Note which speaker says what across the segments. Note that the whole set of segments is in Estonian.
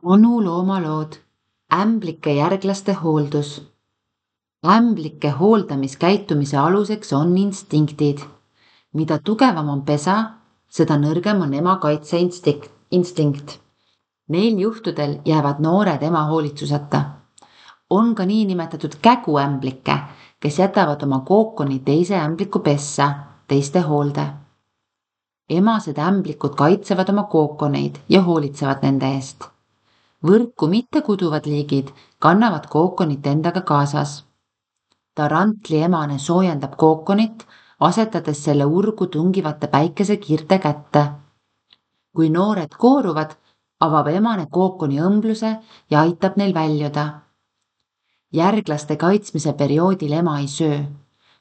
Speaker 1: Onu loomalood, ämblike järglaste hooldus. Ämblike hooldamiskäitumise aluseks on instinktid. Mida tugevam on pesa, seda nõrgem on ema kaitseinstinkt. Neil juhtudel jäävad noored ema hoolitsuseta. On ka niinimetatud käguämblikke, kes jätavad oma kookoni teise ämbliku pessa, teiste hoolde. Emased ämblikud kaitsevad oma kookoneid ja hoolitsevad nende eest. Võrku mitte kuduvad liigid kannavad kookonit endaga kaasas. Tarantli emane soojendab kookonit, asetades selle urgu tungivate päikesekiirte kätte. Kui noored kooruvad, avab emane kookoni õmbluse ja aitab neil väljuda. Järglaste kaitsmise perioodil ema ei söö,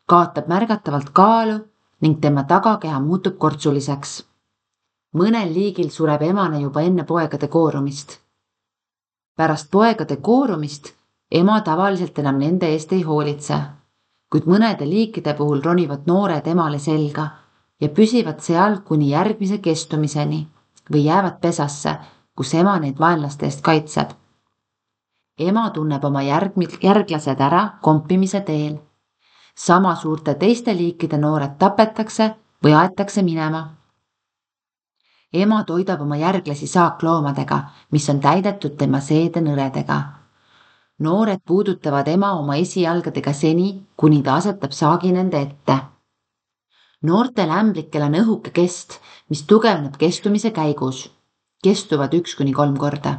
Speaker 1: kaotab märgatavalt kaalu ning tema tagakeha muutub kortsuliseks. Mõnel liigil sureb emane juba enne poegade koorumist. Pärast poegade koorumist ema tavaliselt enam nende eest ei hoolitse, kuid mõnede liikide puhul ronivad noored emale selga ja püsivad seal kuni järgmise kestumiseni või jäävad pesasse, kus ema neid vaenlaste eest kaitseb. Ema tunneb oma järglased ära kompimise teel. Sama suurte teiste liikide noored tapetakse või aetakse minema. Ema toidab oma järglasi saakloomadega, mis on täidetud tema seedenõredega. Noored puudutavad ema oma esijalgadega seni, kuni ta asetab saagi nende ette. Noortel ämblikel on õhuke kest, mis tugevneb kestumise käigus. Kestuvad 1–3 korda.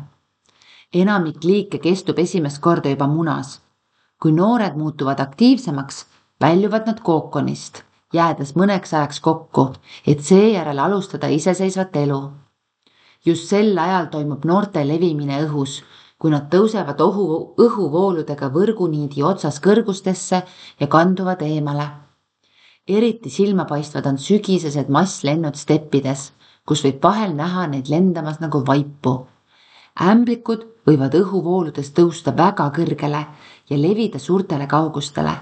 Speaker 1: Enamik liike kestub esimest korda juba munas. Kui noored muutuvad aktiivsemaks, väljuvad nad kookonist, jäädes mõneks ajaks kokku, et seejärel alustada iseseisvat elu. Just sel ajal toimub noorte levimine õhus, kui nad tõusevad õhuvooludega võrguniidi otsas kõrgustesse ja kanduvad eemale. Eriti silmapaistvad on sügisesed masslennud steppides, kus võib vahel näha neid lendamas nagu vaipu. Ämblikud võivad õhuvooludes tõusta väga kõrgele ja levida suurtele kaugustele,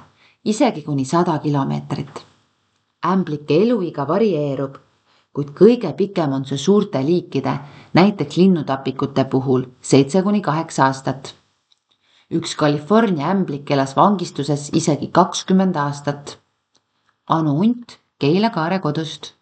Speaker 1: isegi kuni 100 kilomeetrit. Ämblike eluiga varieerub, kuid kõige pikem on see suurte liikide, näiteks linnutapikute puhul 7–8 aastat. Üks California ämblik elas vangistuses isegi 20 aastat. Anu Unt Keila Kaare kodust.